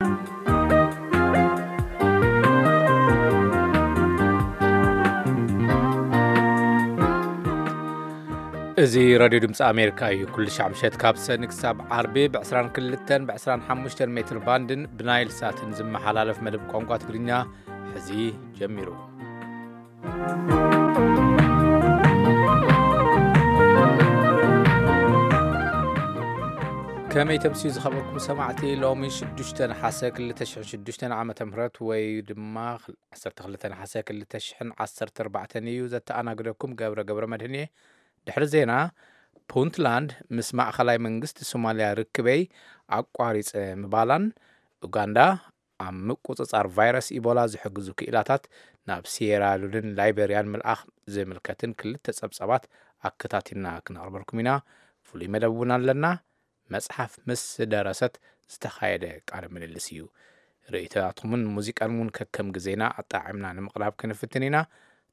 እዚ ራድዮ ድምፂ ኣሜሪካ እዩ። ኩሉ ሻዕ ምሸት ካብ ሰኒ ክሳብ ዓርቢ ብ22ን ብ25 ሜትር ባንድን ብናይል ሳትን ዝመሓላለፍ መደብ ቋንቋ ትግርኛ ሕዚ ጀሚሩ። ከመይ ተምስዩ ዝኸበርኩም ሰማዕቲ፣ ሎሚ 6 ነሓሰ 2006 ዓመተ ምህረት ወይ ድማ 12 ነሓሰ 2014 እዩ። ዘተኣናግደኩም ገብረ ገብረ መድህን እየ። ድሕሪ ዜና፣ ፑንትላንድ ምስ ማእኸላይ መንግስቲ ሶማልያ ርክበይ ኣቋሪጸ ምባላን፣ ኡጋንዳ ኣብ ምቁጽጻር ቫይረስ ኢቦላ ዝሕግዙ ክኢላታት ናብ ሲየራሉንን ላይቤርያን ምልኣኽ ዝምልከትን ክልተ ጸብጻባት ኣከታቲልና ክነቕርበልኩም ኢና። ፍሉይ መደብ እውን ኣለና። መጽሓፍ ምስ ደረሰት ዝተኻየደ ቃለ ምልልስ እዩ። ርእይቶታትኩምን ሙዚቃን እውን ከከም ግዜና ኣጣዒምና ንምቕራብ ክንፍትን ኢና።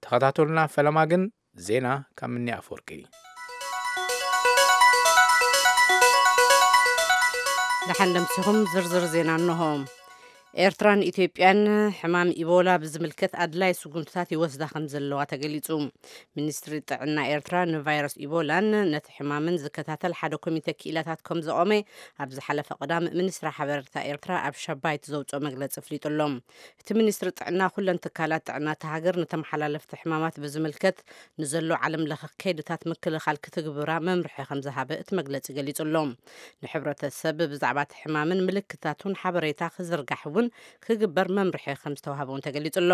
ተኸታተሉና። ፈለማ ግን ዜና ካብ ምኒ ኣፈወርቂ። ደሓን ደምሲኹም። ዝርዝር ዜና እንሆ። ኤርትራን ኢትዮጵያን ሕማም ኢቦላ ብዝምልከት ኣድላይ ስጉምትታት ይወስዳ ከም ዘለዋ ተገሊጹ። ሚኒስትሪ ጥዕና ኤርትራ ንቫይረስ ኢቦላን ነቲ ሕማምን ዝከታተል ሓደ ኮሚተ ክኢላታት ከም ዘቖመ ኣብ ዝሓለፈ ቀዳም ሚኒስትሪ ሓበሬታ ኤርትራ ኣብ ሸባይት ዘውጽኦ መግለጺ ኣፍሊጡ ኣሎ። እቲ ሚኒስትሪ ጥዕና ኩለን ትካላት ጥዕና እታ ሃገር ንተመሓላለፍቲ ሕማማት ብዝምልከት ንዘሎ ዓለም ለኸ ከይድታት ምክልኻል ክትግብራ መምርሒ ከም ዝሃበ እቲ መግለጺ ገሊጹ ኣሎ። ንሕብረተሰብ ብዛዕባ እቲ ሕማምን ምልክታቱን ሓበሬታ ክዝርጋሕ እውን ክግበር መምርሒ ከም ዝተዋህበ እውን ተገሊጹ ኣሎ።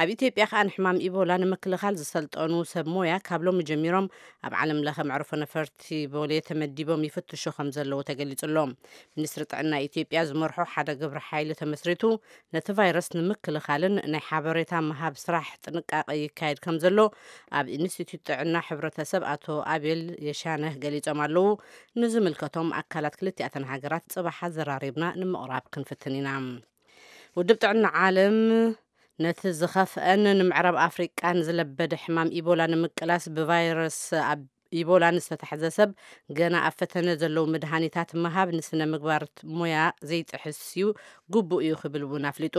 ኣብ ኢትዮጵያ ከኣ ንሕማም ኢቦላ ንምክልኻል ዝሰልጠኑ ሰብ ሞያ ካብ ሎሚ ጀሚሮም ኣብ ዓለም ለኸ መዕርፎ ነፈርቲ ቦሌ ተመዲቦም ይፍትሹ ከም ዘለዉ ተገሊጹ ኣሎ። ሚኒስትሪ ጥዕና ኢትዮጵያ ዝመርሖ ሓደ ግብረ ሓይሊ ተመስሪቱ ነቲ ቫይረስ ንምክልኻልን ናይ ሓበሬታ ምሃብ ስራሕ ጥንቃቐ ይካየድ ከም ዘሎ ኣብ ኢንስቲትዩት ጥዕና ሕብረተሰብ ኣቶ ኣቤል የሻነህ ገሊጾም ኣለዉ። ንዝምልከቶም ኣካላት ክልቲኣተን ሃገራት ጽባሕ ኣዘራሪብና ንምቕራብ ክንፍትን ኢና። ውድብ ጥዕና ዓለም ነቲ ዝኸፍአን ንምዕራብ ኣፍሪቃን ዝለበደ ሕማም ኢቦላ ንምቅላስ ብቫይረስ ኣብ ኢቦላ ንዝተታሕዘ ሰብ ገና ኣብ ፈተነ ዘለዉ መድሃኒታት ምሃብ ንስነ ምግባር ሞያ ዘይጥሕስ እዩ፣ ግቡእ እዩ ክብል እውን ኣፍሊጡ።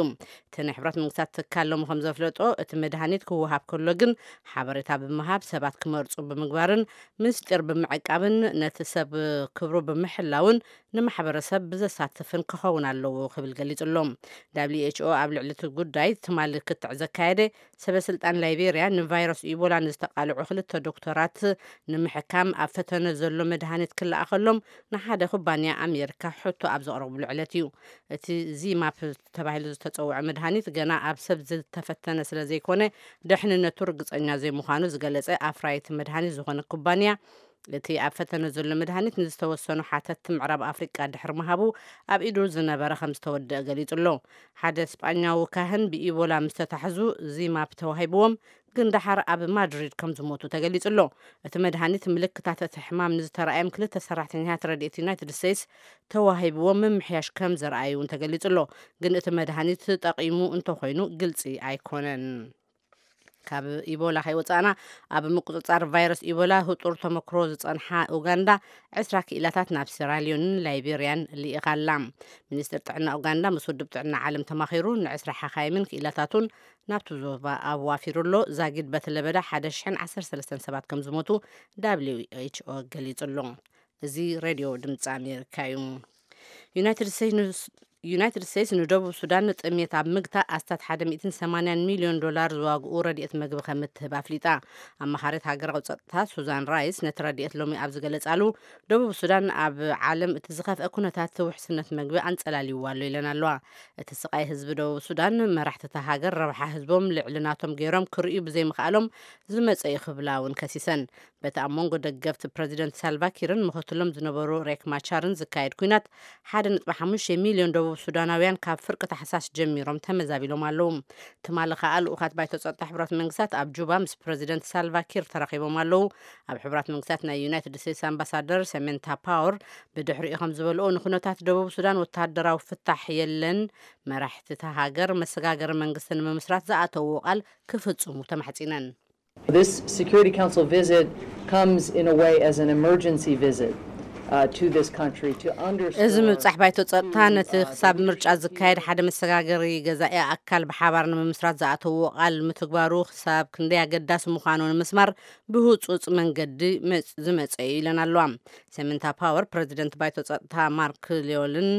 እቲ ናይ ሕብረት መንግስታት ትካል ሎሚ ከም ዘፍለጦ፣ እቲ መድሃኒት ክወሃብ ከሎ ግን ሓበሬታ ብምሃብ፣ ሰባት ክመርጹ ብምግባርን ምስጢር ብምዕቃብን ነቲ ሰብ ክብሩ ብምሕላውን ንማሕበረሰብ ብዘሳትፍን ክኸውን ኣለዎ ክብል ገሊጹ ኣሎ። ደብሊው ኤች ኦ ኣብ ልዕሊ እቲ ጉዳይ ትማሊ ክትዕ ዘካየደ፣ ሰበ ስልጣን ላይቤርያ ንቫይረስ ኢቦላ ንዝተቓልዑ ክልተ ዶክተራት ንምሕካም ኣብ ፈተነ ዘሎ መድሃኒት ክለኣኸሎም ንሓደ ኩባንያ ኣሜሪካ ሕቶ ኣብ ዘቕረብሉ ዕለት እዩ። እቲ ዚማፕ ተባሂሉ ዝተጸውዐ መድሃኒት ገና ኣብ ሰብ ዝተፈተነ ስለ ዘይኮነ፣ ድሕንነቱ ርግጸኛ ዘይምዃኑ ዝገለጸ ኣፍራይቲ መድሃኒት ዝኾነ ኩባንያ፣ እቲ ኣብ ፈተነ ዘሎ መድሃኒት ንዝተወሰኑ ሓተትቲ ምዕራብ ኣፍሪቃ ድሕሪ ምሃቡ ኣብ ኢዱ ዝነበረ ከም ዝተወደአ ገሊጹ ኣሎ። ሓደ ስጳኛዊ ካህን ብኢቦላ ምስ ተታሕዙ ዚማፕ ተዋሂብዎም፣ ግን ደሓር ኣብ ማድሪድ ከም ዝሞቱ ተገሊጹ ኣሎ። እቲ መድሃኒት ምልክታት እቲ ሕማም ንዝተረኣዮም ክልተ ሰራሕተኛታት ረድኤት ዩናይትድ ስቴትስ ተዋሂብዎም ምምሕያሽ ከም ዘረኣዩ እውን ተገሊጹ ኣሎ። ግን እቲ መድሃኒት ጠቒሙ እንተኾይኑ ግልጺ ኣይኮነን። ካብ ኢቦላ ከይወጻእና፣ ኣብ ምቁጽጻር ቫይረስ ኢቦላ ህጡር ተመክሮ ዝጸንሓ ኡጋንዳ ዕስራ ክኢላታት ናብ ሴራሊዮንን ላይቤርያን ልኢኻ ኣላ። ሚኒስትር ጥዕና ኡጋንዳ ምስ ውድብ ጥዕና ዓለም ተማኺሩ ንዕስራ ሓኻይምን ክኢላታቱን ናብቲ ዞባ ኣዋፊሩ ኣሎ። ዛጊድ በቲ ለበዳ ሓደ ሽሕን ዓሰርተ ሰለስተን ሰባት ከም ዝሞቱ ደብሊው ኤች ኦ ገሊጹ ኣሎ። እዚ ሬድዮ ድምፂ ኣሜሪካ እዩ። ዩናይትድ ስቴትስ ንስ-፣ ዩናይትድ ስቴትስ ንደቡብ ሱዳን ንጥሜት ኣብ ምግታእ ኣስታት ሓደ ሚእትን ሰማንያን ሚልዮን ዶላር ዝዋግኡ ረድኤት መግቢ ከም እትህብ ኣፍሊጣ። ኣማኻሪት ሃገራዊ ጸጥታ ሱዛን ራይስ ነቲ ረድኤት ሎሚ ኣብ ዝገለጻሉ፣ ደቡብ ሱዳን ኣብ ዓለም እቲ ዝኸፍአ ኩነታት ውሕስነት መግቢ ኣንጸላልይዋ ኣሎ ኢለን ኣለዋ። እቲ ስቓይ ህዝቢ ደቡብ ሱዳን መራሕቲ እታ ሃገር ረብሓ ህዝቦም ልዕሊ ናቶም ገይሮም ክርእዩ ብዘይምኽኣሎም ዝመጸ እዩ ክብላ እውን ከሲሰን። በቲ ኣብ መንጎ ደገፍቲ ፕረዚደንት ሳልቫ ኪርን ምኽትሎም ዝነበሩ ሬክ ማቻርን ዝካየድ ኲናት፣ ሓደ ነጥቢ ሓሙሽተ ሚልዮን ደቡብ ሱዳናውያን ካብ ፍርቂ ታሕሳስ ጀሚሮም ተመዛቢሎም ኣለዉ። ትማሊ ከኣ ልኡኻት ባይቶ ጸጥታ ሕቡራት መንግስታት ኣብ ጁባ ምስ ፕረዚደንት ሳልቫ ኪር ተራኺቦም ኣለዉ። ኣብ ሕቡራት መንግስታት ናይ ዩናይትድ ስቴትስ ኣምባሳደር ሰሜንታ ፓወር ብድሕሪኡ ከም ዝበልኦ፣ ንኩነታት ደቡብ ሱዳን ወተሃደራዊ ፍታሕ የለን፣ መራሕቲ እታ ሃገር መሰጋገሪ መንግስቲ ንምምስራት ዝኣተውዎ ቃል ክፍጽሙ ተማሕጺነን። This Security Council visit comes in a way as an emergency visit. uh, to this country to underscore እዚ ምብጻሕ ባይቶ ጸጥታ ነቲ ክሳብ ምርጫ ዝካየድ ሓደ መሰጋገሪ ገዛኢ ኣካል ብሓባር ንምምስራት ዝኣተዎ ቃል ምትግባሩ ክሳብ ክንደይ ኣገዳሲ ምዃኑ ንምስማር ብህጹጽ መንገዲ መጽ- ዝመጸ እዩ ኢለን ኣለዋ። ሰሚንታ ፓወር ፕረዚደንት ባይቶ ጸጥታ ማርክ ሊዮልን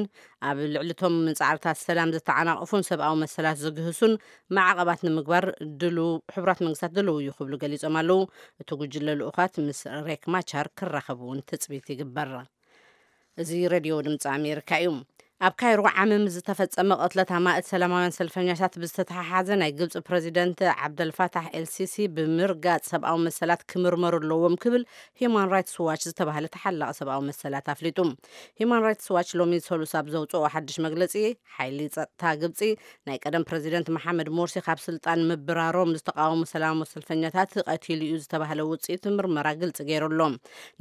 ኣብ ልዕሊ እቶም ጻዕርታት ሰላም ዝተዓናቐፉን ሰብኣዊ መሰላት ዝግህሱን ማዕቐባት ንምግባር ድሉ ሕቡራት መንግስታት ድልው እዩ ክብሉ ገሊጾም ኣለዉ። እቲ ጉጅለ ልኡኻት ምስ ሬክ ማቻር ክራኸቡ እውን ትጽቢት ይግበር። እዚ ሬድዮ ድምፂ ኣሜሪካ እዩ። ኣብ ካይሮ ዓምም ዝተፈጸመ ቅትለት ኣማእት ሰላማውያን ሰልፈኛታት ብዝተተሓሓዘ ናይ ግብፂ ፕረዚደንት ዓብደልፋታሕ ኤልሲሲ ብምርጋፅ ሰብኣዊ መሰላት ክምርመሩ ኣለዎም ክብል ሂማን ራይትስ ዋች ዝተባህለ ተሓላቒ ሰብኣዊ መሰላት ኣፍሊጡ። ሂማን ራይትስ ዋች ሎሚ ሰሉስ ኣብ ዘውፅኦ ሓድሽ መግለፂ ሓይሊ ጸጥታ ግብጺ ናይ ቀደም ፕረዚደንት መሓመድ ሞርሲ ካብ ስልጣን ምብራሮም ዝተቃወሙ ሰላማዊ ሰልፈኛታት ቀቲሉ እዩ ዝተባህለ ውጽኢት ምርመራ ግልጺ ገይሩ ኣሎ።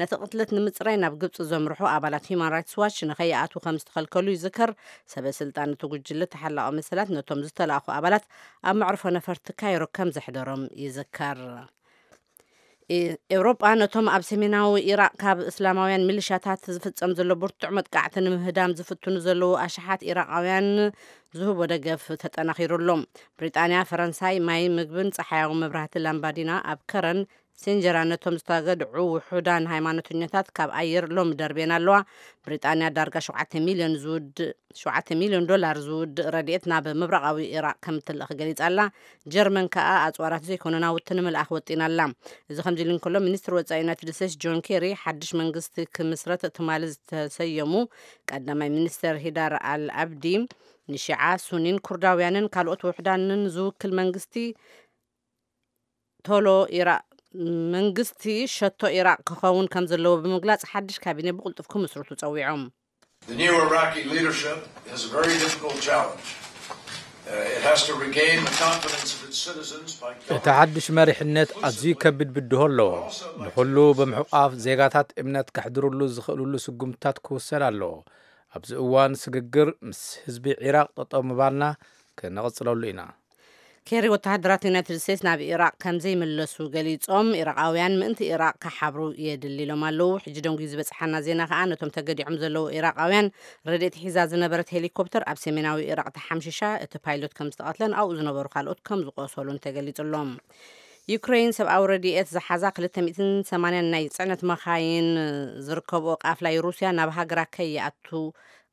ነቲ ቅትለት ንምጽራይ ናብ ግብጺ ዘምርሑ ኣባላት ሂማን ራይትስ ዋች ንኸይኣትዉ ከም ዝተኸልከሉ ይዝከር። ሰበ ስልጣን እቲ ጉጅለ ተሓላቒ መሰላት ነቶም ዝተላእኹ ኣባላት ኣብ መዕርፎ ነፈርቲ ካይሮ ከም ዘሕደሮም ይዝከር። ኤውሮጳ ነቶም ኣብ ሰሜናዊ ኢራቕ ካብ እስላማውያን ሚሊሻታት ዝፍጸም ዘሎ ብርቱዕ መጥቃዕቲ ንምህዳም ዝፍትኑ ዘለዉ ኣሽሓት ኢራቓውያን ዝህቦ ደገፍ ተጠናኺሩ ኣሎ። ብሪጣንያ፣ ፈረንሳይ ማይ፣ ምግብን ጸሓያዊ መብራህቲ ላምባዲና ኣብ ከረን ሴንጀራ ነቶም ዝተገድዑ ውሑዳን ሃይማኖተኛታት ካብ ኣየር ሎሚ ደርቤን ኣለዋ። ብሪጣንያ ዳርጋ ሸውዓተ ሚልዮን ዝውድእ ሸውዓተ ሚልዮን ዶላር ዝውድእ ረድኤት ናብ ምብራቓዊ ኢራቕ ከም እትልእኽ ገሊጻ ኣላ። ጀርመን ከኣ ኣጽዋራት ዘይኮነ ናውቲ ንምልኣኽ ወጢና ኣላ። እዚ ከምዚ ኢሉ እንከሎ፣ ሚኒስትር ወጻኢ ዩናይትድ ስቴትስ ጆን ኬሪ ሓድሽ መንግስቲ ክምስረት ትማሊ ዝተሰየሙ ቀዳማይ ሚኒስተር ሂዳር ኣል ኣብዲ ንሺዓ ሱኒን ኩርዳውያንን ካልኦት ውሕዳንን ዝውክል መንግስቲ ቶሎ ኢራቅ መንግስቲ ሸቶ ኢራቅ ክኸውን ከም ዘለዎ ብምግላጽ ሓድሽ ካቢኔ ብቕልጡፍ ክምስርቱ ጸዊዖም። The new Iraqi leadership has a very difficult challenge. Uh, it has to regain the confidence of its citizens by እቲ ሓድሽ መሪሕነት ኣዝዩ ከቢድ ብድሆ ኣለዎ። ንኹሉ ብምሕቋፍ ዜጋታት እምነት ከሕድርሉ ዝኽእልሉ ስጉምትታት ክውሰድ ኣለዎ። ኣብዚ እዋን ስግግር ምስ ህዝቢ ዒራቕ ጠጠው ምባልና ክንቕጽለሉ ኢና። ኬሪ ወተሃደራት ዩናይትድ ስቴትስ ናብ ኢራቕ ከም ዘይምለሱ ገሊጾም፣ ኢራቓውያን ምእንቲ ኢራቕ ክሓብሩ የድሊ ኢሎም ኣለዉ። ሕጂ ደንጉዩ ዝበጽሓና ዜና ከኣ ነቶም ተገዲዖም ዘለዉ ኢራቓውያን ረድኤት ሒዛ ዝነበረት ሄሊኮፕተር ኣብ ሰሜናዊ ኢራቕ ተሓምሺሻ፣ እቲ ፓይሎት ከም ዝተቐትለን ኣብኡ ዝነበሩ ካልኦት ከም ዝቆሰሉን ተገሊጹ ኣሎ። ዩክሬን ሰብኣዊ ረድኤት ዝሓዛ ክልተ ሚእትን ሰማንያን ናይ ጽዕነት መኻይን ዝርከብኦ ቃፍላይ ሩስያ ናብ ሃገራ ከይኣቱ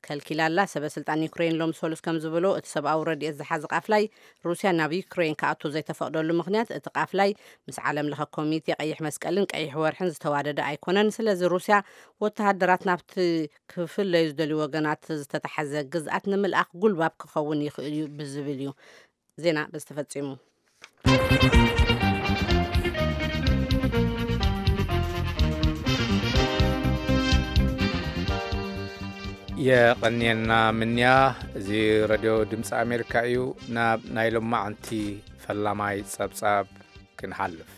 ከልኪላ ኣላ። ሰበ ስልጣን ዩክሬን ሎም ሰሉስ ከም ዝበሎ፣ እቲ ሰብኣዊ ረድኤት ዝሓዘ ቃፍላይ ሩስያ ናብ ዩክሬን ክኣቱ ዘይተፈቕደሉ ምኽንያት፣ እቲ ቃፍላይ ምስ ዓለም ለኸ ኮሚቴ ቀይሕ መስቀልን ቀይሕ ወርሕን ዝተዋደደ ኣይኮነን። ስለዚ ሩስያ ወተሃደራት ናብቲ ክፍለዩ ዝደልዩ ወገናት ዝተታሕዘ ግዝኣት ንምልኣኽ ጉልባብ ክኸውን ይኽእል እዩ ብዝብል እዩ። ዜና በዚ ተፈጺሙ። የቐንየና ምንያ። እዚ ረድዮ ድምፂ ኣሜሪካ እዩ። ናብ ናይ ሎማዓንቲ ፈላማይ ጸብጻብ ክንሓልፍ።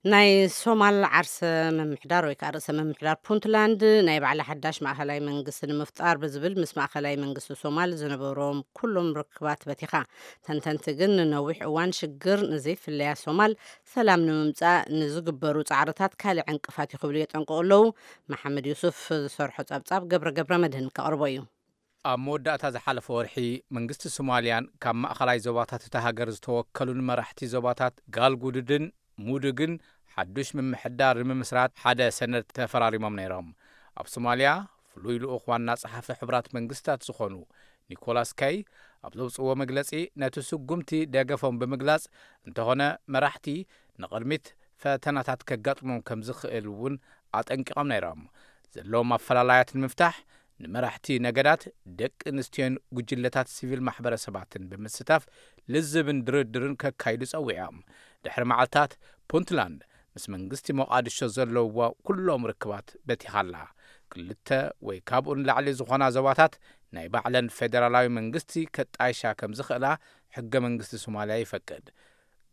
ናይ ሶማል ዓርሰ ምምሕዳር ወይ ከዓ ርእሰ ምምሕዳር ፑንትላንድ ናይ ባዕላ ሓዳሽ ማእኸላይ መንግስቲ ንምፍጣር ብዝብል ምስ ማእኸላይ መንግስቲ ሶማል ዝነበሮም ኩሎም ርክባት በቲኻ። ተንተንቲ ግን ንነዊሕ እዋን ሽግር ንዘይፍለያ ሶማል ሰላም ንምምፃእ ንዝግበሩ ፃዕርታት ካልእ ዕንቅፋት እዩ ክብሉ የጠንቅቑ ኣለዉ። መሓመድ ዩሱፍ ዝሰርሖ ጸብጻብ ገብረ ገብረ መድህን ከቕርቦ እዩ። ኣብ መወዳእታ ዝሓለፈ ወርሒ መንግስቲ ሶማልያን ካብ ማእኸላይ ዞባታት እታ ሃገር ዝተወከሉን መራሕቲ ዞባታት ጋልጉዱድን ሙዱግን ሓዱሽ ምምሕዳር ንምምስራት ሓደ ሰነድ ተፈራሪሞም ነይሮም። ኣብ ሶማልያ ፍሉይ ልኡኽ ዋና ጸሓፊ ሕቡራት መንግስታት ዝኾኑ ኒኮላስ ከይ ኣብ ዘውፅዎ መግለጺ ነቲ ስጉምቲ ደገፎም ብምግላጽ፣ እንተኾነ መራሕቲ ንቕድሚት ፈተናታት ከጋጥሞም ከም ዝኽእል እውን ኣጠንቂቖም ነይሮም። ዘለዎም ኣፈላላያት ንምፍታሕ ንመራሕቲ ነገዳት፣ ደቂ ኣንስትዮን ጉጅለታት ሲቪል ማሕበረሰባትን ብምስታፍ ልዝብን ድርድርን ከካይዱ ጸዊዖም። ድሕሪ መዓልታት ፑንትላንድ ምስ መንግስቲ ሞቓድሾ ዘለውዋ ኩሎም ርክባት በቲኻ ኣላ። ክልተ ወይ ካብኡ ንላዕሊ ዝኾና ዞባታት ናይ ባዕለን ፌደራላዊ መንግስቲ ከጣይሻ ከም ዝኽእላ ሕገ መንግስቲ ሶማልያ ይፈቅድ።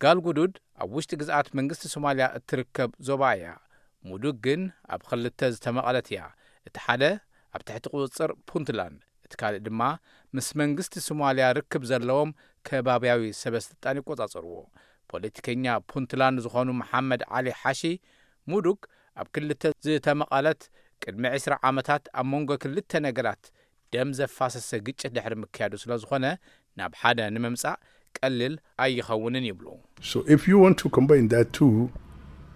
ጋልጉዱድ ኣብ ውሽጢ ግዝኣት መንግስቲ ሶማልያ እትርከብ ዞባ እያ። ሙዱግ ግን ኣብ ክልተ ዝተመቐለት እያ። እቲ ሓደ ኣብ ትሕቲ ቁጽጽር ፑንትላንድ፣ እቲ ካልእ ድማ ምስ መንግስቲ ሶማልያ ርክብ ዘለዎም ከባብያዊ ሰበስልጣን ይቆጻጸርዎ። ፖለቲከኛ ፑንትላንድ ዝኾኑ መሓመድ ዓሊ ሓሺ፣ ሙዱግ ኣብ ክልተ ዝተመቐለት ቅድሚ ዕስራ ዓመታት ኣብ መንጎ ክልተ ነገራት ደም ዘፋሰሰ ግጭት ድሕሪ ምክያዱ ስለ ዝኾነ፣ ናብ ሓደ ንምምጻእ ቀሊል ኣይኸውንን ይብሉ። So if you want to combine that two,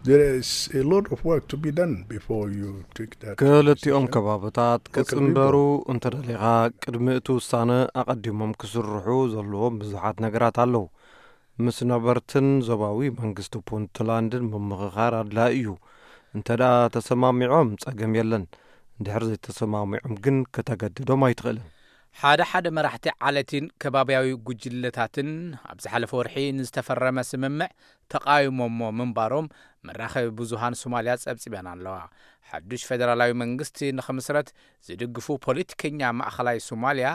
there is a lot of work to be done before you take that. ክልቲኦም ከባብታት ክጽንበሩ እንተደሊኻ፣ ቅድሚ እቲ ውሳነ ኣቐዲሞም ክስርሑ ዘለዎም ብዙሓት ነገራት ኣለዉ። ምስ ነበርትን ዞባዊ መንግስቲ ፑንትላንድን ምምኽኻር ኣድላዪ እዩ። እንተ ደኣ ተሰማሚዖም፣ ጸገም የለን። እንድሕር ዘይተሰማሚዖም ግን፣ ከተገድዶም ኣይትኽእልን። ሓደ ሓደ መራሕቲ ዓለትን ከባብያዊ ጉጅለታትን ኣብ ዝሓለፈ ወርሒ ንዝተፈረመ ስምምዕ ተቓይሞሞ ምንባሮም መራኸቢ ብዙሃን ሶማልያ ጸብጺበን ኣለዋ። ሓዱሽ ፌደራላዊ መንግስቲ ንኽምስረት ዝድግፉ ፖለቲከኛ ማእኸላይ ሶማልያ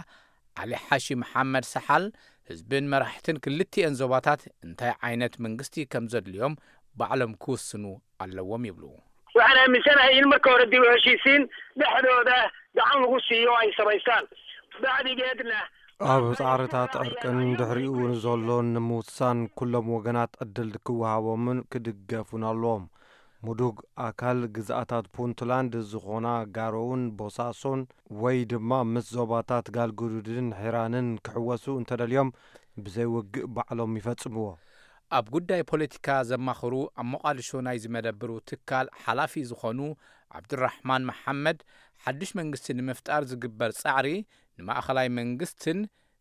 ዓሊ ሓሺ መሓመድ ሰሓል፣ ህዝብን መራሕትን ክልቲኤን ዞባታት እንታይ ዓይነት መንግስቲ ከም ዘድልዮም ባዕሎም ክውስኑ ኣለዎም ይብሉ። Waxaan aaminsanahay in marka hore dib u heshiisiin dhexdooda gacan lagu siiyo ay samaystaan. Bacdigeedna, ኣብ ጻዕርታት ዕርቅን ድሕሪኡ ንዘሎን ንምውሳን ኩሎም ወገናት ዕድል ክወሃቦምን ክድገፉን ኣለዎም። ምዱግ ኣካል ግዝኣታት ፑንትላንድ ዝኾና ጋሮውን ቦሳሶን፣ ወይ ድማ ምስ ዞባታት ጋልጉዱድን ሒራንን ክሕወሱ እንተደልዮም፣ ብዘይ ውግእ ባዕሎም ይፈጽምዎ። ኣብ ጉዳይ ፖለቲካ ዘማኽሩ ኣብ ሞቓዲሾ ናይ ዝመደብሩ ትካል ሓላፊ ዝኾኑ ዓብዱራሕማን መሓመድ፣ ሓዱሽ መንግስቲ ንምፍጣር ዝግበር ጻዕሪ ንማእኸላይ መንግስትን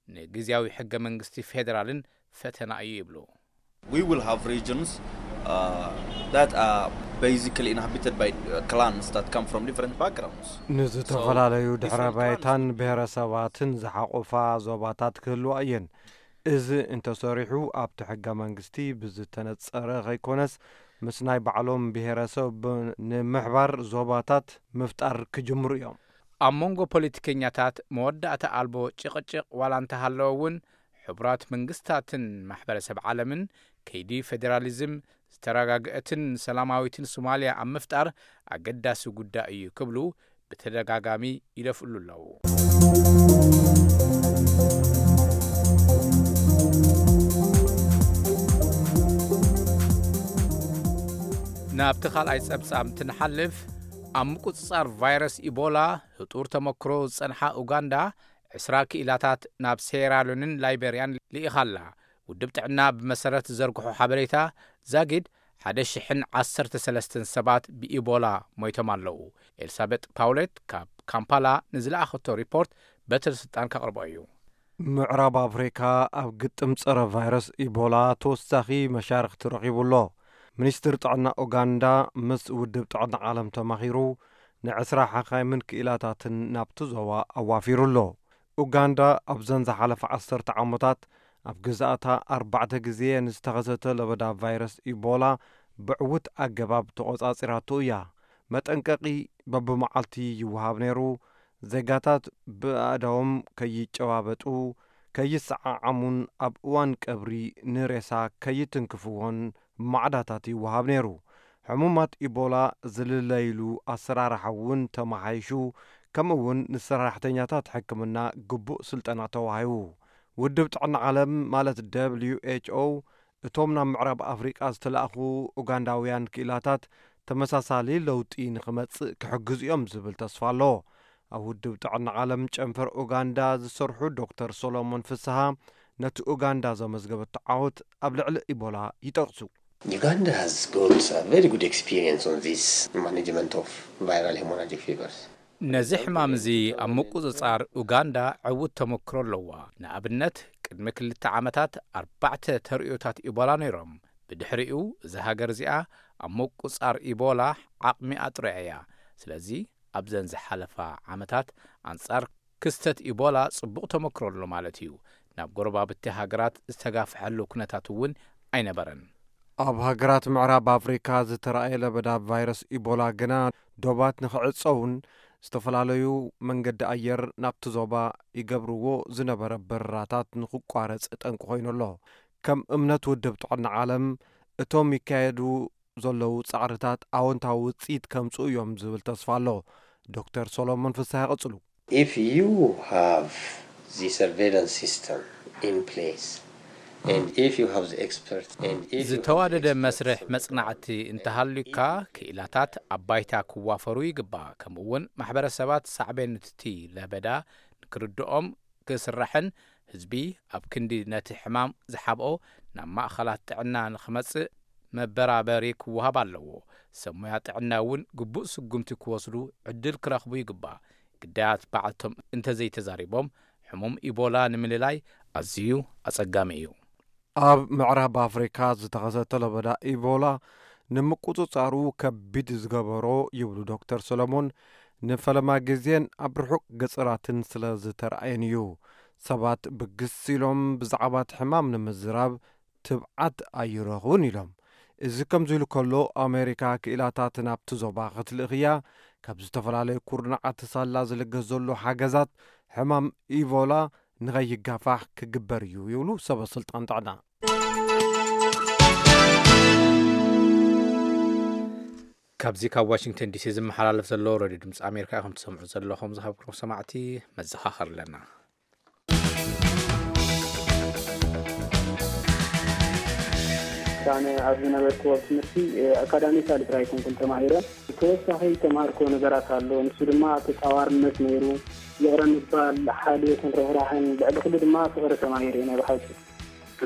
ንግዝያዊ ሕገ መንግስቲ ፌደራልን ፈተና እዩ ይብሉ። We will have regions uh, that are basically inhabited by uh, clans that come from different backgrounds. ንዝተፈላለዩ ድሕረ ባይታን ብሔረሰባትን ዝሓቆፋ ዞባታት ክህልዋ እየን። እዚ እንተሰሪሑ፣ ኣብቲ ሕገ መንግስቲ ብዝተነጸረ ከይኮነስ፣ ምስ ናይ ባዕሎም ብሔረሰብ ንምሕባር ዞባታት ምፍጣር ክጅምሩ እዮም። ኣብ መንጎ ፖለቲከኛታት መወዳእታ ኣልቦ ጭቕጭቕ ዋላ እንተሃለወ እውን፣ ሕቡራት መንግስታትን ማሕበረሰብ ዓለምን ከይዲ ፌዴራሊዝም ዝተረጋግአትን ሰላማዊትን ሶማልያ ኣብ ምፍጣር ኣገዳሲ ጉዳይ እዩ ክብሉ ብተደጋጋሚ ይደፍእሉ ኣለዉ። ናብቲ ካልኣይ ጸብጻብ እንትንሓልፍ፣ ኣብ ምቁጽጻር ቫይረስ ኢቦላ ህጡር ተመክሮ ዝጸንሓ ኡጋንዳ ዕስራ ክኢላታት ናብ ሴራሊዮንን ላይቤርያን ልኢኻ ኣላ። ውድብ ጥዕና ብመሰረት ዝዘርግሖ ሓበሬታ፣ ዛጊድ ሓደ ሽሕን ዓሰርተ ሰለስተን ሰባት ብኢቦላ ሞይቶም ኣለዉ። ኤልሳቤጥ ፓውሌት ካብ ካምፓላ ንዝለኣኸቶ ሪፖርት በትሪ ስልጣን ከቕርቦ እዩ። ምዕራብ ኣፍሪካ ኣብ ግጥም ጸረ ቫይረስ ኢቦላ ተወሳኺ መሻርኽቲ ረኺቡ ኣሎ። ሚኒስትር ጥዕና ኡጋንዳ ምስ ውድብ ጥዕና ዓለም ተማኺሩ፣ ንዕስራ ሓኻይምን ክኢላታትን ናብቲ ዞባ ኣዋፊሩ ኣሎ። ኡጋንዳ ኣብዘን ዝሓለፈ ዓሰርተ ዓመታት ኣብ ግዝኣታ ኣርባዕተ ግዜ ንዝተኸሰተ ለበዳ ቫይረስ ኢቦላ ብዕዉት ኣገባብ ተቖጻጺራቶ እያ። መጠንቀቒ በብመዓልቲ ይወሃብ ነይሩ። ዜጋታት ብኣእዳዎም ከይጨባበጡ፣ ከይሰዓዓሙን ኣብ እዋን ቀብሪ ንሬሳ ከይትንክፍዎን ማዕዳታት ይወሃብ ነይሩ። ሕሙማት ኢቦላ ዝልለይሉ ኣሰራርሓ እውን ተመሓይሹ፣ ከምኡ እውን ንሰራሕተኛታት ሕክምና ግቡእ ስልጠና ተዋሂቡ። ውድብ ጥዕና ዓለም ማለት ደብልዩ ኤች ኦ እቶም ናብ ምዕራብ ኣፍሪቃ ዝተላእኹ ኡጋንዳውያን ክኢላታት ተመሳሳሊ ለውጢ ንኽመጽእ ክሕግዙ እዮም ዝብል ተስፋ ኣሎ። ኣብ ውድብ ጥዕና ዓለም ጨንፈር ኡጋንዳ ዝሰርሑ ዶክተር ሶሎሞን ፍስሃ ነቲ ኡጋንዳ ዘመዝገበቶ ዓወት ኣብ ልዕሊ ኢቦላ ይጠቕሱ። Uganda has got a very good experience on this management of viral hemorrhagic fevers. ነዚ ሕማም እዚ ኣብ ምቁጽጻር ኡጋንዳ ዕዉት ተመክሮ ኣለዋ። ንኣብነት፣ ቅድሚ ክልተ ዓመታት ኣርባዕተ ተርእዮታት ኢቦላ ነይሮም። ብድሕሪኡ፣ እዛ ሃገር እዚኣ ኣብ ምቁጽጻር ኢቦላ ዓቕሚ ኣጥሪያ እያ። ስለዚ፣ ኣብዘን ዝሓለፋ ዓመታት ኣንጻር ክስተት ኢቦላ ጽቡቕ ተመክሮ ኣሎ ማለት እዩ። ናብ ጎረባብቲ ሃገራት ዝተጋፍሐሉ ኩነታት እውን ኣይነበረን። ኣብ ሃገራት ምዕራብ ኣፍሪካ ዝተራእየ ለበዳ ቫይረስ ኢቦላ ግና፣ ዶባት ንኽዕጸውን ዝተፈላለዩ መንገዲ ኣየር ናብቲ ዞባ ይገብርዎ ዝነበረ በረራታት ንኽቋረጽ ጠንቂ ኮይኑ ኣሎ። ከም እምነት ውድብ ጥዕና ዓለም፣ እቶም ይካየዱ ዘለዉ ጻዕርታት ኣወንታዊ ውጽኢት ከምጽኡ እዮም ዝብል ተስፋ ኣሎ። ዶክተር ሶሎሞን ፍስሃ ይቕጽሉ። If you have the surveillance system in place. And if you have the expert, and if you have the ዝተዋደደ experts መስርሕ on the መጽናዕቲ እንተሃልዩካ፣ ክኢላታት ኣብ ባይታ ክዋፈሩ ይግባእ። ከምኡ እውን ማሕበረሰባት ሳዕቤን'ቲ ለበዳ ንክርድኦም ክስራሕን ህዝቢ ኣብ ክንዲ ነቲ ሕማም ዝሓብኦ ናብ ማእኸላት ጥዕና ንኽመጽእ መበራበሪ ክወሃብ ኣለዎ። ሰብ ሞያ ጥዕና እውን ግቡእ ስጉምቲ ክወስዱ ዕድል ክረኽቡ ይግባእ። ግዳያት ባዕልቶም እንተዘይተዛሪቦም ሕሙም ኢቦላ ንምልላይ ኣዝዩ ኣጸጋሚ እዩ። ኣብ ምዕራብ ኣፍሪካ ዝተኸሰተ ለበዳ ኢቦላ ንምቁፅፃሩ ከቢድ ዝገበሮ ይብሉ ዶክተር ሰሎሞን፣ ንፈለማ ግዜን ኣብ ርሑቕ ገፅራትን ስለ ዝተረኣየን እዩ። ሰባት ብግስ ኢሎም ብዛዕባ እቲ ሕማም ንምዝራብ ትብዓት ኣይረኽቡን ኢሎም። እዚ ከምዚ ኢሉ ከሎ፣ ኣሜሪካ ክኢላታት ናብቲ ዞባ ክትልእኽያ ካብ ዝተፈላለዩ ኩርናዓት ሳላ ዝልገስ ዘሎ ሓገዛት ሕማም ኢቦላ ንኸይጋፋሕ ክግበር እዩ ይብሉ ሰበ ስልጣን ጥዕና። ካብዚ ካብ ዋሽንግተን ዲሲ ዝመሓላለፍ ዘሎ ሬድዮ ድምፂ ኣሜሪካ ኢኹም ትሰምዑ ዘለኹም። ዝሃብኩም ሰማዕቲ መዘኻኸር ኣለና። ኣነ ኣብ ዝነበርኩዎ ትምህርቲ ኣካዳሚካሊ ጥራይ ኣይኮንኩን ተማሂረ። ተወሳኺ ዝተምሃርኩዎ ነገራት ኣሎ። ንሱ ድማ ተጻዋርነት ነይሩ። ይቕረ ምባል፣ ሓልዮትን ርህራህን፣ ልዕሊ ኩሉ ድማ ፍቕሪ ተማሂረ ናይ ብሓቂ።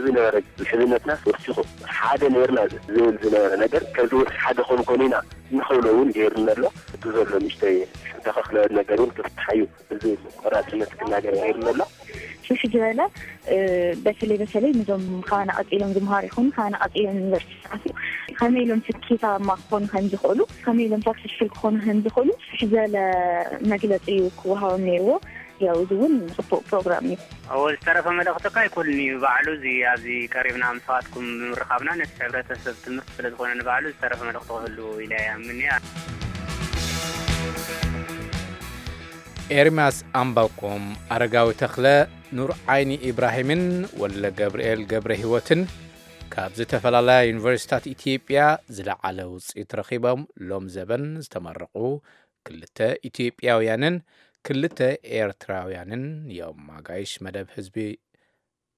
ዝነበረ ምሕዝነትና ወሲኹ ሓደ ነርና ዝብል ዝነበረ ነገር ከዚ ወሲ ሓደ ኮንኮን ኢና ንኽብሎ እውን ገይሩና ኣሎ። እቲ ዘሎ ንእሽተይ ዝተኸፍለ ነገር እውን ክፍታሕ እዩ። እዚ ቆራፅነት ክናገር ገይሩና ኣሎ። ፍሽ ዝበለ በተለይ በተለይ ንዞም ካባና ቀፂሎም ዝምሃሩ ይኹኑ ካባና ቀፂሎም ዩኒቨርሲቲ ዝኣትዉ ከመይ ኢሎም ስኬታማ ክኾኑ ከም ዝኽእሉ ከመይ ኢሎም ሳክሰስፉል ክኾኑ ከም ዝኽእሉ ፍሽ ዝበለ መግለፂ እዩ ክወሃቦም ነይርዎ። ያው እዚ እውን ፅቡቅ ፕሮግራም እዩ። እዎ ዝተረፈ መልእኽቲ እኳ ኣይኮንን እዩ ባዕሉ እዚ ኣብዚ ቀሪብና ምሳኻትኩም ብምርኻብና ነቲ ሕብረተሰብ ትምህርቲ ስለ ዝኾነ ንባዕሉ ዝተረፈ መልእኽቲ ክህልዎ ኢለ እየ ኣምን እየ። ኤርምያስ ኣምባቆም፣ ኣረጋዊ ተኽለ፣ ኑር ዓይኒ ኢብራሂምን ወለ ገብርኤል ገብረ ህይወትን ካብ ዝተፈላለያ ዩኒቨርሲታት ኢትዮጵያ ዝለዓለ ውፅኢት ረኺቦም ሎም ዘበን ዝተመረቑ ክልተ ኢትዮጵያውያንን ክልተ ኤርትራውያንን እዮም። ኣጋይሽ መደብ ህዝቢ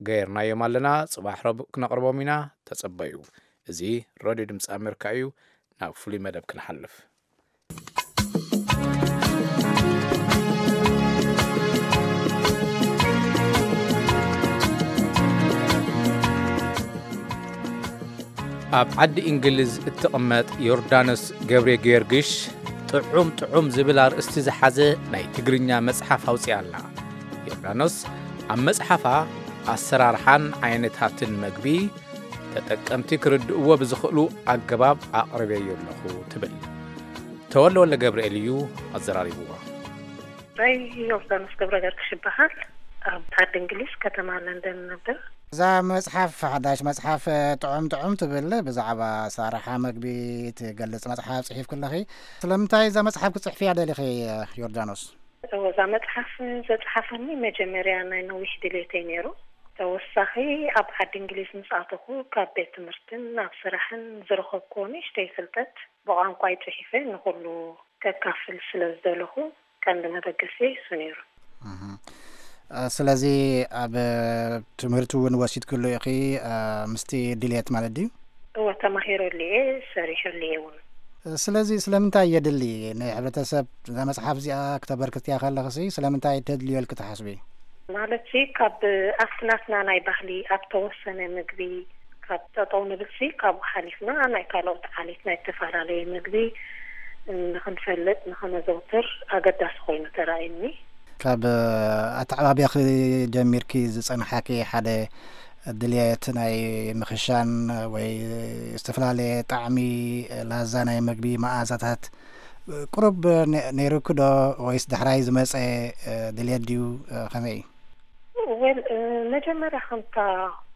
ገይርናዮም ኣለና። ጽባሕ ረቡዕ ክነቕርቦም ኢና። ተጸበዩ። እዚ ሬድዮ ድምፂ ኣሜሪካ እዩ። ናብ ፍሉይ መደብ ክንሓልፍ። ኣብ ዓዲ እንግሊዝ እትቕመጥ ዮርዳኖስ ገብረ ጊዮርጊሽ ጥዑም ጥዑም ዝብል ኣርእስቲ ዝሓዘ ናይ ትግርኛ መጽሓፍ ኣውጺኣ ኣላ። ዮርዳኖስ ኣብ መጽሓፋ ኣሰራርሓን ዓይነታትን መግቢ ተጠቀምቲ ክርድእዎ ብዝኽእሉ ኣገባብ ኣቕርበዮ ኣለኹ ትብል። ተወልደ ወልደ ገብርኤል እዩ ኣዘራሪብዋ። ናይ ዮርዳኖስ ገብረ ገርግሽ ይበሃል። ኣብ ዓዲ እንግሊዝ ከተማ ለንደን እነብር። እዛ መጽሓፍ፣ ሓዳሽ መጽሓፍ ጥዑም ጥዑም ትብል፣ ብዛዕባ ኣሰራርሓ መግቢ ትገልጽ መጽሓፍ ጽሒፍኪ ኣለኺ። ስለምንታይ እዛ መጽሓፍ ክትጽሕፍያ ደሊኺ ዮርዳኖስ? እወ፣ እዛ መጽሓፍ ዘጽሓፈኒ መጀመርያ ናይ ነዊሕ ድሌተይ ነይሩ። ተወሳኺ ኣብ ዓዲ እንግሊዝ ምስ ኣተኹ ካብ ቤት ትምህርትን ኣብ ስራሕን ዝረኸብኩዎ ንእሽተይ ፍልጠት ብቋንቋይ ጽሒፈ ንኹሉ ከካፍል ስለ ዝደለኹ ቀንዲ መበገሲየይ እሱ ነይሩ። እህ። እ፣ ስለዚ ኣብ ትምህርቲ እውን ወሲድክሉ ኢኺ፣ እ፣ ምስቲ ድልየት ማለት ድዩ? እወ፣ ተማሂረሉ እየ፣ ሰሪሐሉ እየ እውን። እ፣ ስለዚ ስለምንታይ የድሊ ንሕብረተሰብ እዛ መጽሓፍ እዚኣ ክተበርክትያ ከለኽሲ ስለምንታይ ተድልዮ ኢልኪ ትሓስቢ? ማለትሲ ካብ ኣብቲ ናትና ናይ ባህሊ ኣብ ተወሰነ ምግቢ ካብ ጠጠው ንብልሲ ካብኡ ሓሊፍና ናይ ካልኦት ዓሌት ናይ ዝተፈላለየ ምግቢ ንኽንፈልጥ ንኸነዘውትር ኣገዳሲ ኮይኑ ተራእዩኒ። ካብ ኣተዓባብያኺ ጀሚርኪ ዝጸንሓኪ ሓደ ድልየት ናይ ምኽሻን ወይ ዝተፈላለየ ጣዕሚ ላዛ ናይ ምግቢ መኣዛታት ቁሩብ ነ-፣ ነይሩኪ ዶ ወይስ ዳሕራይ ዝመጸ ድልየት ድዩ? ከመይ እዩ? ወል፣ እ፣ መጀመርያ ከምታ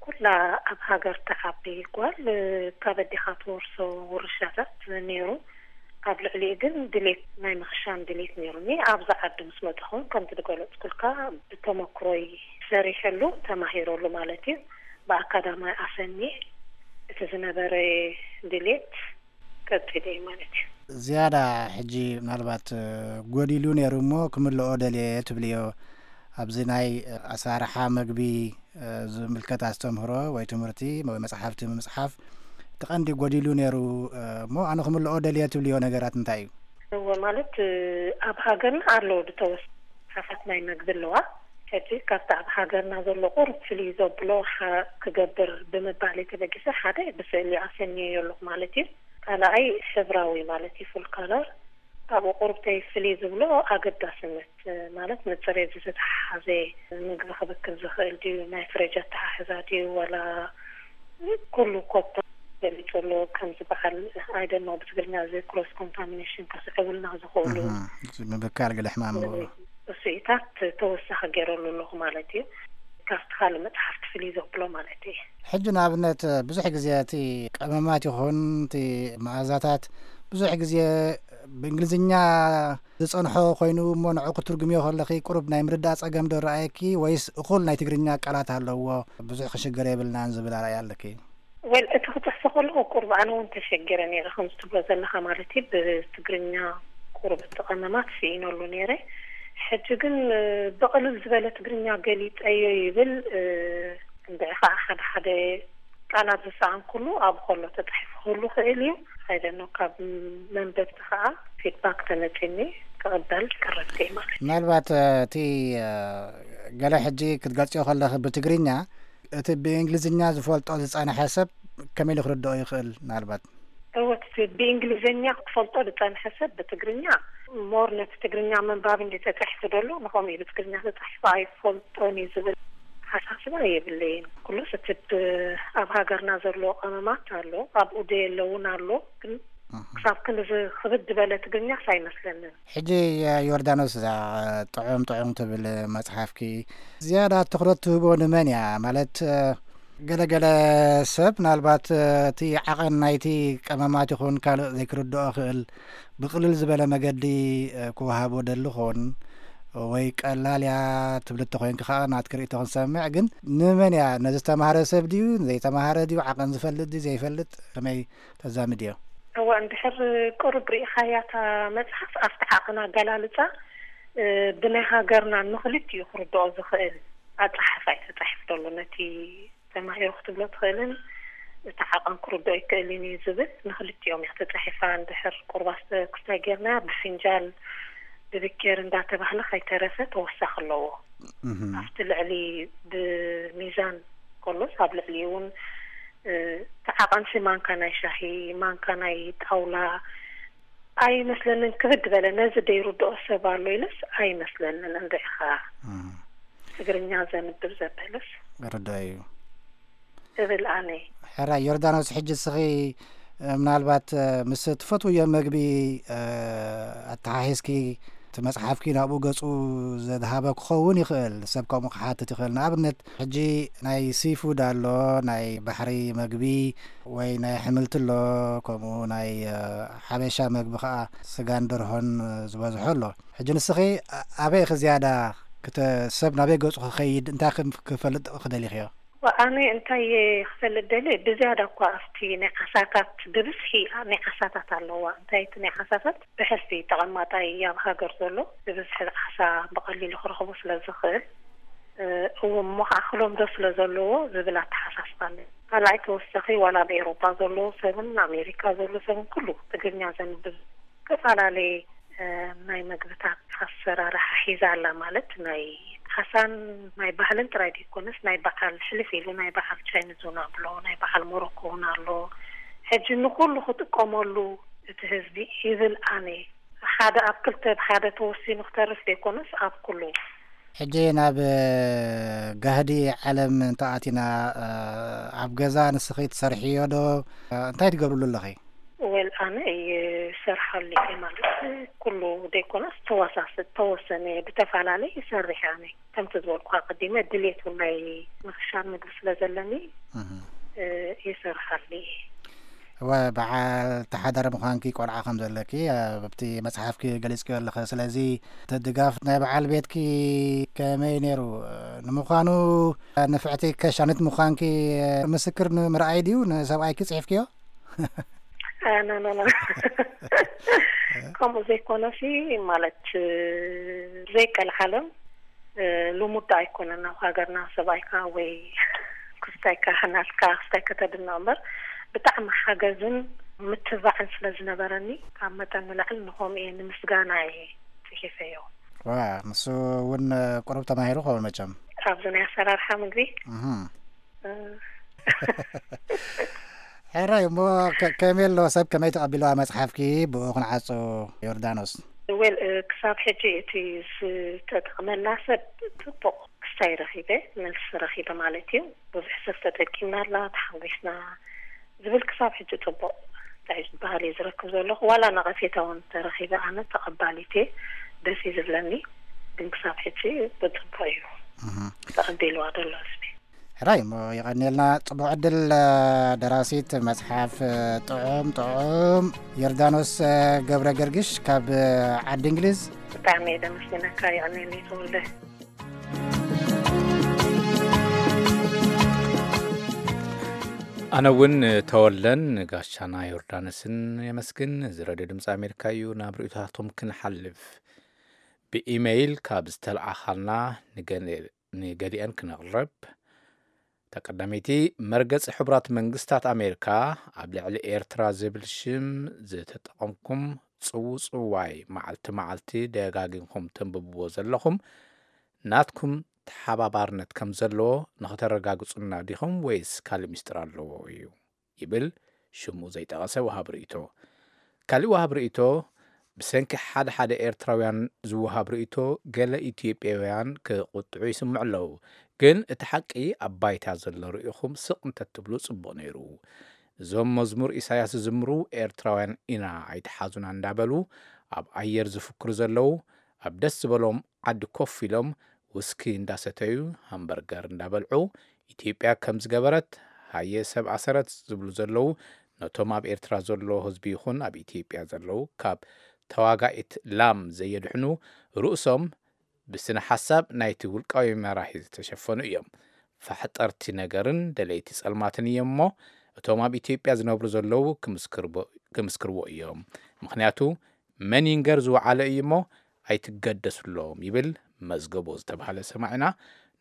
ኩላ ኣብ ሃገር ትዓቢ ጓል፣ እ፣ ካብ ኣዴኻ ትወርሶ ውርሻታት ነይሩ። ኣብ ልዕሊኡ ግን ድሌት፣ ናይ ምኽሻን ድሌት ነይሩኒ። ኣብዚ ዓዲ ምስ መጻኹ እውን ከምቲ ዝገለጽኩልካ ብተመክሮይ ሰሪሐሉ፣ ተማሂረሉ ማለት እዩ። ብኣካዳማይ ኣሰንየ እቲ ዝነበረ ድሌት ቀጺለ እየ ማለት እዩ። ዝያዳ ሕጂ ምናልባት፣ እ፣ ጎዲሉ ነይሩ እሞ ክምልኦ ደልየ ትብልዮ ኣብዚ ናይ ኣሰራርሓ መግቢ ዝምልከት ኣስተምህሮ ወይ ትምህርቲ ወይ መጽሓፍቲ ምጽሓፍ እቲ ቀንዲ ጎዲሉ ነይሩ። እሞ ኣነ ክምልኦ ደልየ ትብልዮ ነገራት እንታይ እዩ? እወ፣ ማለት ኣብ ሃገርና ኣለዉ ዝተወሰኑ መጽሓፋት ናይ መግቢ ኣለዋ። ሕጂ ካብቲ ኣብ ሃገርና ዘሎ ቁሩብ ፍልይ ዘብሎ ክገብር ብምባል ተበጊሰ ሓደ ብስእሊ ኣሰንየዮ ኣለኹ ማለት እዩ። ካልኣይ ሕብራዊ ማለት እዩ፣ ፉል ካለር። ካብኡ ቁሩብ ተይ ፍልይ ዝብሎ ኣገዳስነት ማለት ንፅሬት ዝተተሓሓዘ ምግቢ ክብክል ዝኽእል ድዩ፣ ናይ ፍሬጅ ኣተሓሕዛ ድዩ፣ ዋላ ኩሉ ኮታ ገሊፁ ኣሎ። ከምዚ በዓል ኣይደኖ ብትግርኛ እዚ ክሮስ ኮንታሚኔሽን ከስዕቡልና ዝኽእሉ ምብካል ገለ ሕማም ስኢታት ተወሳኺ ገይረሉ ኣለኹ ማለት እዩ። ካብቲ ካልእ መፅሓፍቲ ፍልይ ዘብሎ ማለት እዩ። ሕጂ ንኣብነት ብዙሕ ግዜ እቲ ቀመማት ይኹን እቲ መኣዛታት ብዙሕ ግዜ ብእንግሊዝኛ ዝጸንሖ ኮይኑ እሞ ንዑ ክትርጉምዮ ከለኺ ቁሩብ ናይ ምርዳእ ጸገም ዶ ረኣየኪ ወይስ እኹል ናይ ትግርኛ ቃላት ኣለዎ ብዙሕ ክሽገር የብልናን ዝብል ኣረኣእያ ኣለኪ? ወል እቲ ክፅሕፎ ከለኹ ቁሩብ ኣነ እውን ተሸጊረ ነይረ ከምዚ ትብሎ ዘለኻ ማለት እዩ። ብትግርኛ ቁሩብ እቲ ቀመማት ስኢነሉ ነይረ። ሕጂ ግን ብቕልል ዝበለ ትግርኛ ገሊፀዮ ይብል። እንድዒ ከዓ ሓደ ሓደ ቃላት ዝሰኣንኩሉ ኣብኡ ከሎ ተፃሒፉ ክህሉ ይኽእል እዩ። I don't know፣ ካብ መንበብቲ ከዓ ፊድባክ ተመፂኒ ክቕበል ቀረብቲ እየ ማለት እዩ። ምናልባት እቲ ገለ ሕጂ ክትገልፅዮ ከለኺ ብትግርኛ እቲ ብእንግሊዝኛ ዝፈልጦ ዝፀንሐ ሰብ ከመይ ኢሉ ክርድኦ ይኽእል? ምናልባት እወ፣ እቲ ብእንግሊዝኛ ክፈልጦ ዝፀንሐ ሰብ ብትግርኛ ሞር ነቲ ትግርኛ ምንባብ እንዲ ተፃሒፉ ደሎ ንኸምኡ እዩ ብትግርኛ ተፃሒፉ ኣይፈልጦን እዩ ዝብል ሓሳስባ የብለይን። ኩሉስ እቲ ብ- ኣብ ሃገርና ዘሎ ቀመማት ኣሎ፣ ኣብኡ ደየለውን ኣሎ። ግን ክሳብ ክንዚ ክብድ ዝበለ ትግርኛስ ኣይመስለንን። ሕጂ ዮርዳኖስ እዛ ጥዑም ጥዑም ትብል መጽሓፍኪ ዝያዳ ትኹረት ትህቦ ንመን እያ? ማለት ገለገለ ሰብ ምናልባት እቲ ዓቐን ናይቲ ቀመማት ይኹን ካልእ ዘይክርድኦ ክእል ብቕልል ዝበለ መገዲ ክወሃቦ ደሊ ኾን ወይ ቀላል እያ ትብል እተኾይንኪ ከዓ ናትኪ ርእይቶ ክንሰምዕ። ግን ንመን እያ? ነዚ ዝተማህረ ሰብ ድዩ? ዘይተማህረ ድዩ? ዓቐን ዝፈልጥ ድዩ ዘይፈልጥ? ከመይ ተዛምድዮ? እወ፣ እንድሕር ቅሩብ ርኢኻያ እታ መጽሓፍ ኣብቲ ዓቐን ኣገላልጻ ብናይ ሃገርና ንኽልቲኡ ክርድኦ ዝኽእል ኣጸሓሕፋ እዩ ተጻሒፉ ዘሎ። ነቲ ተማሂሩ ክትብሎ ትኽእልን እቲ ዓቐን ክርድኦ ይክእልን እዩ ዝብል ንኽልቲኦም እያ ተጻሒፋ። እንድሕር ቁሩብ ኣስተክስታይ ጌርና ብፍንጃል ብብኬር እንዳተባህለ ከይተረፈ ተወሳኺ ኣለዎ። ኣብቲ ልዕሊ ብሚዛን ከሎስ ኣብ ልዕሊ እውን እቲ ዓቐንሲ ማንካ ናይ ሻሂ፣ ማንካ ናይ ጣውላ ኣይመስለንን። ክብድ በለ ነዚ ደይርድኦ ሰብ ኣሎ ኢለስ ኣይመስለንን። እንድዒኻ ትግርኛ ዘንብብ ዘበለስ ርዳእ እዩ። እብል ኣነ። ሕራይ ዮርዳኖስ፣ ሕጂ እስኺ ምናልባት ምስ ትፈትውዮ መግቢ ኣተሓሒዝኪ እቲ መጽሓፍኪ ናብኡ ገጹ ዘድሃበ ክኸውን ይኽእል፣ ሰብ ከምኡ ክሓትት ይኽእል። ንኣብነት ሕጂ ናይ ሲፉድ ኣሎ፣ ናይ ባሕሪ መግቢ ወይ ናይ ኣሕምልቲ ኣሎ፣ ከምኡ ናይ ሓበሻ መግቢ ኸኣ ስጋን ደርሆን ዝበዝሖ ኣሎ። ሕጂ ንስኺ ኣበይ ኢኺ ዝያዳ ሰብ ናበይ ገጹ ክኸይድ እንታይ ክፈልጥ ክደሊኽዮ? ኣነ እንታይ ክፈልጥ ደልየ ብዝያዳ እኳ ኣብቲ ናይ ዓሳታት ብብዝሒ ናይ ዓሳታት ኣለዋ። እንታይ እቲ ናይ ዓሳታት ብሕልፊ ተቐማጣይ ኣብ ሃገር ዘሎ ብብዝሒ ዓሳ ብቐሊሉ ክረኽቦ ስለ ዝኽእል እው እሞ ከዓ ክለምዶ ስለ ዘለዎ ዝብል ኣተሓሳስባ ኣሎ። ካልኣይ ተወሳኺ ዋላ ኣብ ኤውሮጳ ዘሎ ሰብን ኣሜሪካ ዘሎ ሰብን ኩሉ ትግርኛ ዘንብብ ዝተፈላለየ ናይ መግብታት ኣሰራርሓ ሒዛ ኣላ። ማለት ናይ ዓሳን ናይ ባህልን ጥራይ ዘይኮነስ ናይ በዓል ሕልፍ ኢሉ ናይ በዓል ቻይኒዝ እውን ኣሎ፣ ናይ በዓል ሞሮኮ እውን ኣሎ። ሕጂ ንኩሉ ክጥቀመሉ እቲ ህዝቢ ይብል ኣነ ሓደ ኣብ ክልተ ብሓደ ተወሲኑ ክተርፍ ዘይኮነስ ኣብ ኩሉ። ሕጂ ናብ ጋህዲ ዓለም እንተኣቲና ኣብ ገዛ ንስኺ ትሰርሕዮ ዶ? እንታይ ትገብርሉ ኣለኺ? ወል ኣነ ይሰርሓሉ እየ ማለት ኩሉ ዘይኮነስ ተወሳስ ተወሰነ ብተፈላለየ ይሰርሕ ኣነ ከምቲ ዝበልኩ ኣቀዲመ ድሌት ናይ ምኽሻር ምግቢ ስለ ዘለኒ ይሰርሓሉ እየ። እወ በዓል ተሓዳሪ ምዃንኪ ቆልዓ ከም ዘለኪ ኣብቲ መጽሓፍኪ ገሊጽክዮ ኣለኺ። ስለዚ እቲ ድጋፍ ናይ በዓል ቤትኪ ከመይ ነይሩ? ንምዃኑ ንፍዕቲ ከሻኒት ምዃንኪ ምስክር ንምርኣይ ድዩ ንሰብኣይኪ ጽሒፍክዮ? ኖ ኖ ኖ ከምኡ ዘይኮነሲ ማለት ዘይቀልዓለም ልሙድ ኣይኮነን ኣብ ሃገርና ሰብኣይካ ወይ ክስታይካ ናትካ ክስታይ ከተድንቕ እምበር፣ ብጣዕሚ ሓገዝን ምትባዕን ስለ ዝነበረኒ፣ ካብ መጠን ንላዕሊ ንኸምኡ እየ ንምስጋና እየ ጽሒፈዮ። ዋ፣ ንሱ እውን ቁሩብ ተማሂሩ ኸውን መቸም። ኣብዚ ናይ ኣሰራርሓ ምግቢ እህ። እ፣ ሕራይ እሞ፣ ከ- ከመይ ኣሎ ሰብ፣ ከመይ ተቐቢልዋ መጽሓፍኪ? ብኡ ክንዓጹ። ዮርዳኖስ። ዌል፣ እ፣ ክሳብ ሕጂ እቲ ዝተጠቕመላ ሰብ ጽቡቕ ክስታይ ረኺበ፣ መልሲ ረኺበ ማለት እዩ። ብዙሕ ሰብ ተጠቂምናላ፣ ተሓጒስና ዝብል ክሳብ ሕጂ ጽቡቕ እንታይ ዝበሃል እየ ዝረክብ ዘለኹ። ዋላ ነቐፌታ እውን ተረኺበ፣ ኣነ ተቐባሊት እየ፣ ደስ እዩ ዝብለኒ። ግን ክሳብ ሕጂ ብጽቡቕ እዩ እህ። ተቐቢልዋ ዘሎ ህዝቢ። ሕራይ እሞ፣ የቐንየልና። ጽቡቕ ዕድል። ደራሲት መጽሓፍ ጥዑም ጥዑም፣ ዮርዳኖስ ገብረ ገርግሽ ካብ ዓዲ እንግሊዝ። ብጣዕሚ እየ ደመስግነካ። የቐንየለይ ተወልደ። ኣነ እውን ተወልደን ጋሻና ዮርዳኖስን የመስግን። እዚ ረድዮ ድምፂ ኣሜሪካ እዩ። ናብ ርእይቶታቶም ክንሓልፍ፣ ብኢመይል ካብ ዝተለኣኻልና ንገ- ንገሊአን ክነቕርብ። ተቀዳመይቲ፣ መርገጺ ሕቡራት መንግስታት ኣሜሪካ ኣብ ልዕሊ ኤርትራ ዝብል ሽም ዝተጠቐምኩም ጽውጽዋይ መዓልቲ መዓልቲ ደጋጊምኩም ተንብብዎ ዘለኹም፣ ናትኩም ተሓባባርነት ከም ዘለዎ ንኸተረጋግጹና ዲኹም ወይስ ካልእ ሚስጥር ኣለዎ እዩ? ይብል ሽሙ ዘይጠቐሰ ወሃብ ርእይቶ። ካልእ ወሃብ ርእይቶ፣ ብሰንኪ ሓደ ሓደ ኤርትራውያን ዝወሃብ ርእይቶ፣ ገለ ኢትዮጵያውያን ክቕጥዑ ይስምዑ ኣለዉ። ግን እቲ ሓቂ ኣብ ባይታ ዘሎ ርኢኹም ስቕ እንተትብሉ ጽቡቕ ነይሩ። እዞም መዝሙር ኢሳያስ ዝዝምሩ ኤርትራውያን ኢና ኣይትሓዙና እንዳበሉ ኣብ ኣየር ዝፍክሩ ዘለዉ፣ ኣብ ደስ ዝበሎም ዓዲ ኮፍ ኢሎም ውስኪ እንዳሰተዩ፣ ሃምበርገር እንዳበልዑ፣ ኢትዮጵያ ከም ዝገበረት፣ ሃየ ሰብ ኣሰረት ዝብሉ ዘለዉ፣ ነቶም ኣብ ኤርትራ ዘሎ ህዝቢ ይኹን ኣብ ኢትዮጵያ ዘለዉ ካብ ተዋጋኢት ላም ዘየድሕኑ፣ ርእሶም ብስነ ሓሳብ ናይቲ ውልቃዊ መራሒ ዝተሸፈኑ እዮም። ፋሕጠርቲ ነገርን ደለይቲ ጸልማትን እዮም እሞ፣ እቶም ኣብ ኢትዮጵያ ዝነብሩ ዘለዉ ክምስክርቦ-፣ ክምስክርዎ እዮም። ምኽንያቱ መን ይንገር ዝወዓለ እዩ እሞ ኣይትገደሱሎም ይብል መዝገቦ ዝተባህለ ሰማዒና።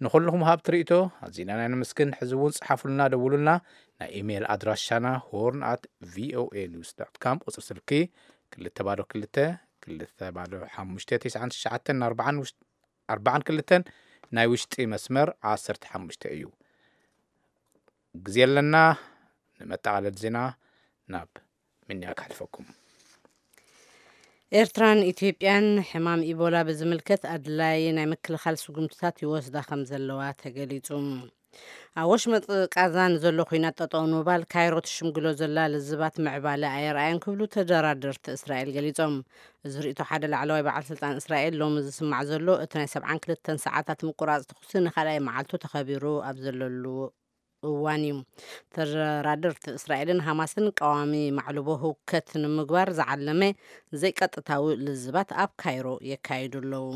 ንኹልኹም ሃብቲ ርእይቶ ኣዚና ናይ ነመስግን። ሕዚ እውን ጽሓፉልና፣ ደውሉልና። ናይ ኢሜይል ኣድራሻና ሆርን ኣት ቪኦኤ ኒውስ ዳት ካም፣ ቁጽሪ ስልኪ ክልተ ባዶ ክልተ፣ ክልተ ባዶ ሓሙሽተ፣ ትሽዓን ትሽዓተን ኣርባዓን ውሽ-፣ ኣርባዓን ክልተን፣ ናይ ውሽጢ መስመር ዓሰርተ ሓሙሽተ እዩ። ግዜ ኣለና። ንመጠቓለል ዜና ናብ ምንያ ክሓልፈኩም። ኤርትራን ኢትዮጵያን ሕማም ኢቦላ ብዝምልከት ኣድላይ ናይ ምክልኻል ስጉምትታት ይወስዳ ከም ዘለዋ ተገሊጹ። ኣብ ወሽመጥ ቃዛ ንዘሎ ኲናት ጠጠው ንምባል ካይሮ ትሽምግሎ ዘላ ልዝባት ምዕባለ ኣየርኣየን ክብሉ ተደራደርቲ እስራኤል ገሊጾም። እዚ ርእይቶ ሓደ ላዕለዋይ በዓል ስልጣን እስራኤል ሎሚ ዝስማዕ ዘሎ፣ እቲ ናይ ሰብዓን ክልተን ሰዓታት ምቁራጽ ተኹሲ ንኻልኣይ መዓልቱ ተኸቢሩ ኣብ ዘለሉ እዋን እዩ። ተደራደርቲ እስራኤልን ሃማስን ቀዋሚ ማዕልቦ ህውከት ንምግባር ዝዓለመ ዘይቀጥታዊ ልዝባት ኣብ ካይሮ የካይዱ ኣለዉ።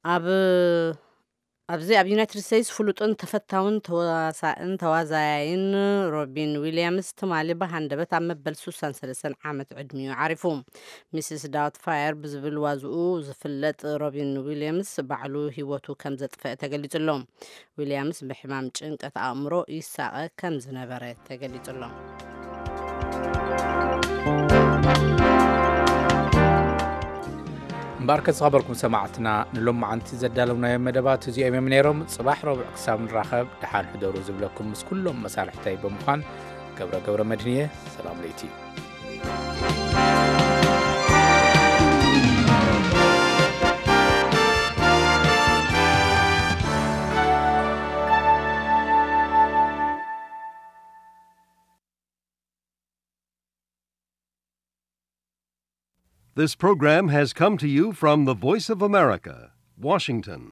ኣብ ኣብዚ ኣብ ዩናይትድ ስቴትስ ፍሉጥን ተፈታውን ተዋሳእን ተዋዛያይን ሮቢን ዊልያምስ ትማሊ ብሃንደበት ኣብ መበል ሱሳን ሰለስተን ዓመት ዕድሚኡ ዓሪፉ። ሚስስ ዳውትፋየር ብዝብል ዋዝኡ ዝፍለጥ ሮቢን ዊልያምስ ባዕሉ ህይወቱ ከም ዘጥፈአ ተገሊጹ ኣሎ። ዊልያምስ ብሕማም ጭንቀት ኣእምሮ ይሳቐ ከም ዝነበረ ተገሊጹ ኣሎ። እምበኣርከ ዝኸበርኩም ሰማዕትና፣ ንሎማዓንቲ ዘዳለውናዮም መደባት እዚኦም እዮም ነይሮም። ጽባሕ ረቡዕ ክሳብ ንራኸብ፣ ደሓን ሕደሩ ዝብለኩም ምስ ኩሎም መሳርሕተይ ብምዃን ገብረ ገብረ መድህን እየ። ሰላም ለይቲ። This program has come to you from the Voice of America, Washington.